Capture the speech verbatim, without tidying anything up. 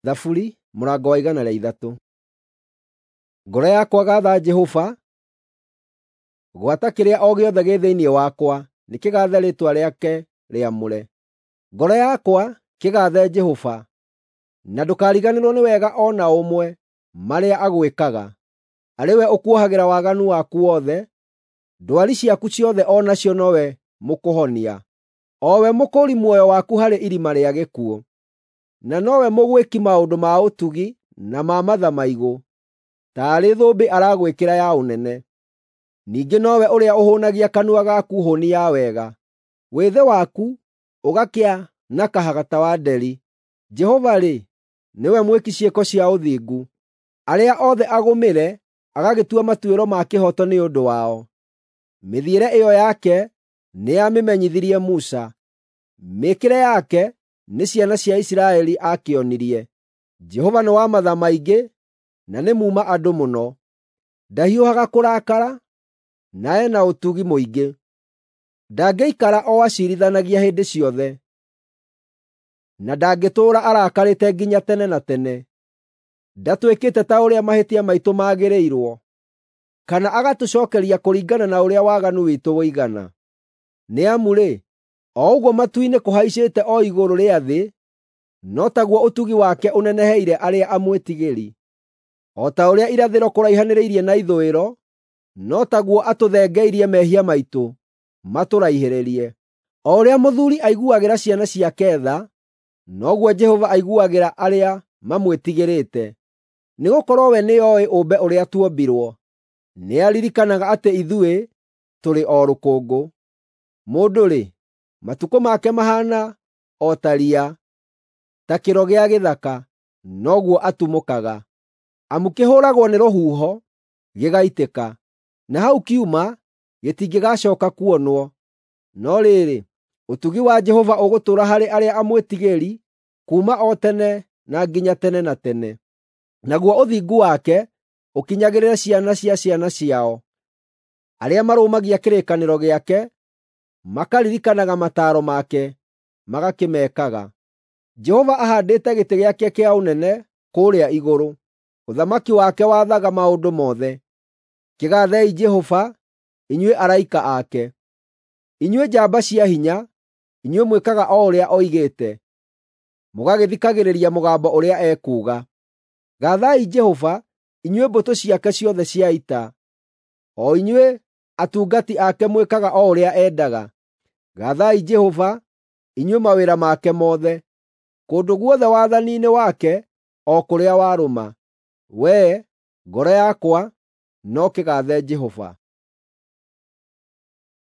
Thaburi mũrango wa igana rĩa ithatũ. Ngoro yakwa gaatha Jehova, gwata kĩrĩa o gĩothe gĩ thĩinĩ wakwa nĩkĩgaathe rĩĩtwa rĩake rĩamũre. Ngoro yakwa kĩgaathe Jehova, na ndũkariganĩrwo nĩ wega o na ũmwe marĩa agwĩkaga. Arĩ we ũkuohagĩra waganu waku wothe, ndwari ciaku ciothe o nacio nowe mũkũhonia, o we mũkũũri muoyo waku harĩ irima rĩa gĩkuũ. Na nowe mũgwĩki maũndũ ma ũtugi na ma matha maigũ, taarĩ thũmbĩ aragwĩkĩra ya ũnene. Ningĩ nowe ũrĩa ũhũũnagia kanua gaku hũũni ya wega, wĩthĩ waku ũgakĩa na kahaga ta wa nderi. Jehova-rĩ, nĩwe mwĩki ciĩko cia ũthingu, arĩa othe agũmĩre agagĩtua matuĩro ma kĩhooto nĩ ũndũ wao. Mĩthiĩre ĩyo yake nĩamĩmenyithirie Musa, mĩĩkĩre yake nĩ ciana cia Isiraeli aakĩonirie. Jehova nĩ wa matha maingĩ na nĩ muuma andũ mũno; ndahiũhaga kũrakara, na e na ũtugi mũingĩ. Ndangĩikara o aciirithanagia hĩndĩ ciothe, na ndangĩtũũra arakarĩte nginya tene na tene. Ndatwĩkĩte ta ũrĩa mahĩtia maitũ magĩrĩirwo, kana agatũcookeria kũringana na ũrĩa waganu witũ ũigana. Nĩ amu-rĩ, o ũguo matu-inĩ kũhaicĩte o igũrũ rĩa thĩ, no taguo ũtugi wake ũneneheire arĩa amwĩtigĩri. O ta ũrĩa irathĩro kũraihanĩrĩirie na ithũĩro, no taguo atũthengeirie mehia maitũ matũraihĩrĩrie. O ũrĩa mũthuuri aiguagĩra ciana ciake tha, noguo Jehova aiguagĩra arĩa mamwĩtigĩrĩte. Nĩgũkorwo we nĩoĩ ũmbe ũrĩa tuombirwo, nĩaririkanaga atĩ ithuĩ tũrĩ o rũkũngũ. Mũndũ-rĩ, matukũ make mahaana o ta riya, ta kĩro gĩa gĩthaka, noguo atumũkaga. Amu kĩhũũragwo nĩ rũhuho, gĩgaitĩka, na hau kiuma gĩtingĩgacooka kuonwo. No rĩrĩ, ũtugi wa Jehova ũgũtũũra harĩ arĩa amwĩtigĩri kuuma o tene na nginya tene na tene, naguo ũthingu wake ũkinyagĩrĩre ciana cia ciana ciao, arĩa marũmagia kĩrĩkanĩro gĩake, makaririkanaga mataaro make, magakĩmekaga. Jehova ahaandĩte gĩtĩ gĩake kĩa ũnene kũũrĩa igũrũ, ũthamaki wake wathaga maũndũ mothe. Kĩgaathei Jehova, inyuĩ araika ake, inyuĩ njamba cia hinya, inyuĩ mwĩkaga o ũrĩa oigĩte, mũgagĩthikagĩrĩria mũgambo ũrĩa ekuuga. Gaathai Jehova, inyuĩ mbũtũ ciake ciothe cia ita, o inyuĩ atungati ake mwĩkaga o ũrĩa endaga. Gaathai Jehova, inyuĩ mawĩra make mothe, kũndũ guothe wathani-inĩ wake o kũrĩa warũma. Wee, ngoro yakwa, no kĩgaathe Jehova.